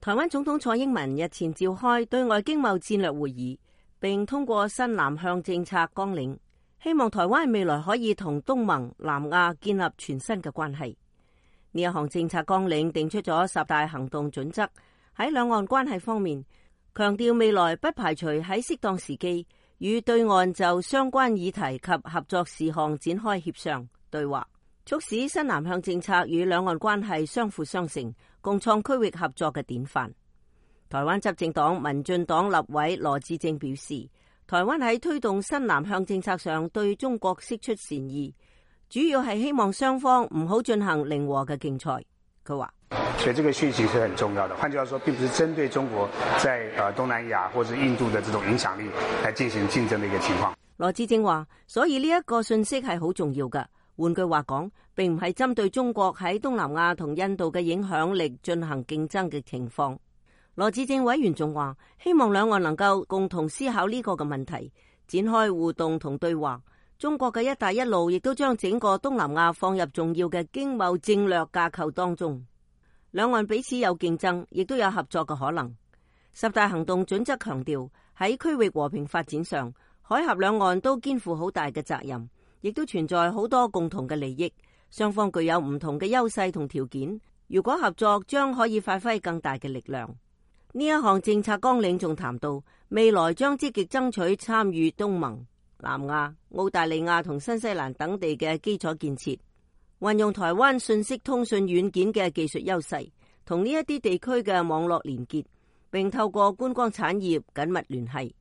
台灣總統蔡英文日前召開對外經貿戰略會議，並通過新南向政策綱領，希望台灣未來可以同東盟、南亞建立全新嘅關係。呢一項政策綱領定出咗10大行動準則，喺兩岸關係方面，強調未來不排除喺適當時機與對岸就相關議題及合作事項展開協商對話，促使新南向政策與兩岸關係相輔相成，共創區域合作嘅典範。台灣執政黨民進黨立委羅致政表示，台灣喺推動新南向政策上對中國釋出善意，主要係希望雙方唔好進行零和嘅競賽。佢話，所以這個訊息是很重要的。換句話說，並不是針對中國在東南亞或者印度的這種影響力來進行競爭的一個情況。羅致政話，所以呢一個訊息係好重要嘅。換句話講，並唔係針對中國喺東南亞同印度嘅影響力進行競爭嘅情況。羅致政委員仲話，希望兩岸能夠共同思考呢個嘅問題，展開互動同對話。中國嘅一帶一路亦都將整個東南亞放入重要嘅經貿戰略架構當中。兩岸彼此有競爭，亦都有合作嘅可能。10大行動準則強調，喺區域和平發展上，海峽兩岸都肩負好大嘅責任，亦都存在好多共同嘅利益，雙方具有唔同嘅優勢同條件。如果合作，將可以發揮更大嘅力量。呢一項政策綱領仲談到，未來將積極爭取參與東盟、南亞、澳大利亞同新西蘭等地嘅基礎建設，運用台灣信息通訊軟件嘅技術優勢，同呢一啲地區嘅網絡連結，並透過觀光產業緊密聯繫。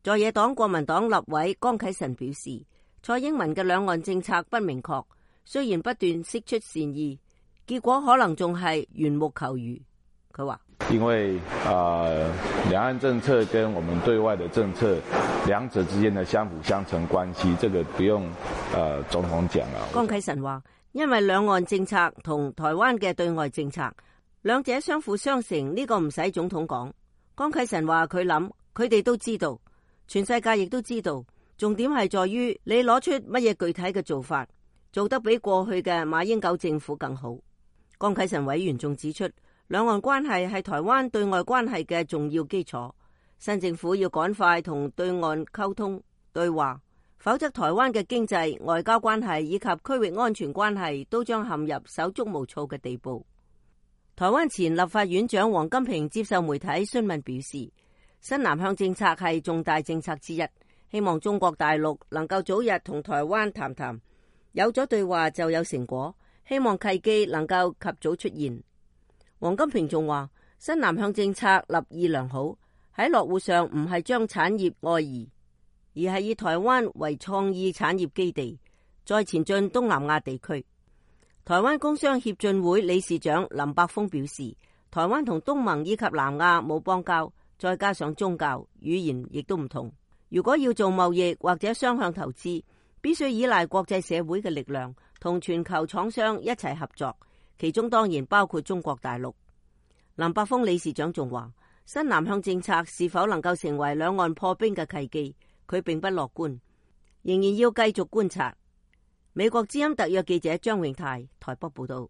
在野黨國民黨立委江啟臣表示，蔡英文嘅兩岸政策不明確，雖然不斷釋出善意，結果可能仲係緣木求魚。佢話，因為兩岸政策跟我們對外的政策，兩者之間的相輔相成關係，這個不用總統講啦。江啟臣話，因為兩岸政策同台灣嘅對外政策，兩者相輔相成，呢個唔使總統講。江啟臣話佢諗，佢哋都知道，全世界亦都知道，重點係在於你攞出乜嘢具體嘅做法，做得比過去嘅馬英九政府更好。江啟臣委員仲指出，兩岸關係係台灣對外關係嘅重要基礎，新政府要趕快同對岸溝通對話，否則台灣嘅經濟、外交關係以及區域安全關係都將陷入手足無措嘅地步。台灣前立法院長王金平接受媒體詢問表示，新南向政策係重大政策之一，希望中國大陸能夠早日同台灣談談，有咗對話就有成果，希望契機能夠及早出現。王金平仲話，新南向政策立意良好，喺落戶上唔係將產業外移，而係以台灣為創意產業基地，再前進東南亞地區。台灣工商協進會理事長林柏峰表示，台灣同東盟以及南亞冇邦交，再加上宗教、語言亦都唔同，如果要做貿易或者雙向投資，必須依賴國際社會嘅力量，同全球廠商一齊合作，其中當然包括中國大陸。林柏峰理事長仲話，新南向政策是否能夠成為兩岸破冰嘅契機，佢並不樂觀，仍然要繼續觀察。美國之音特約記者張永泰台北報道。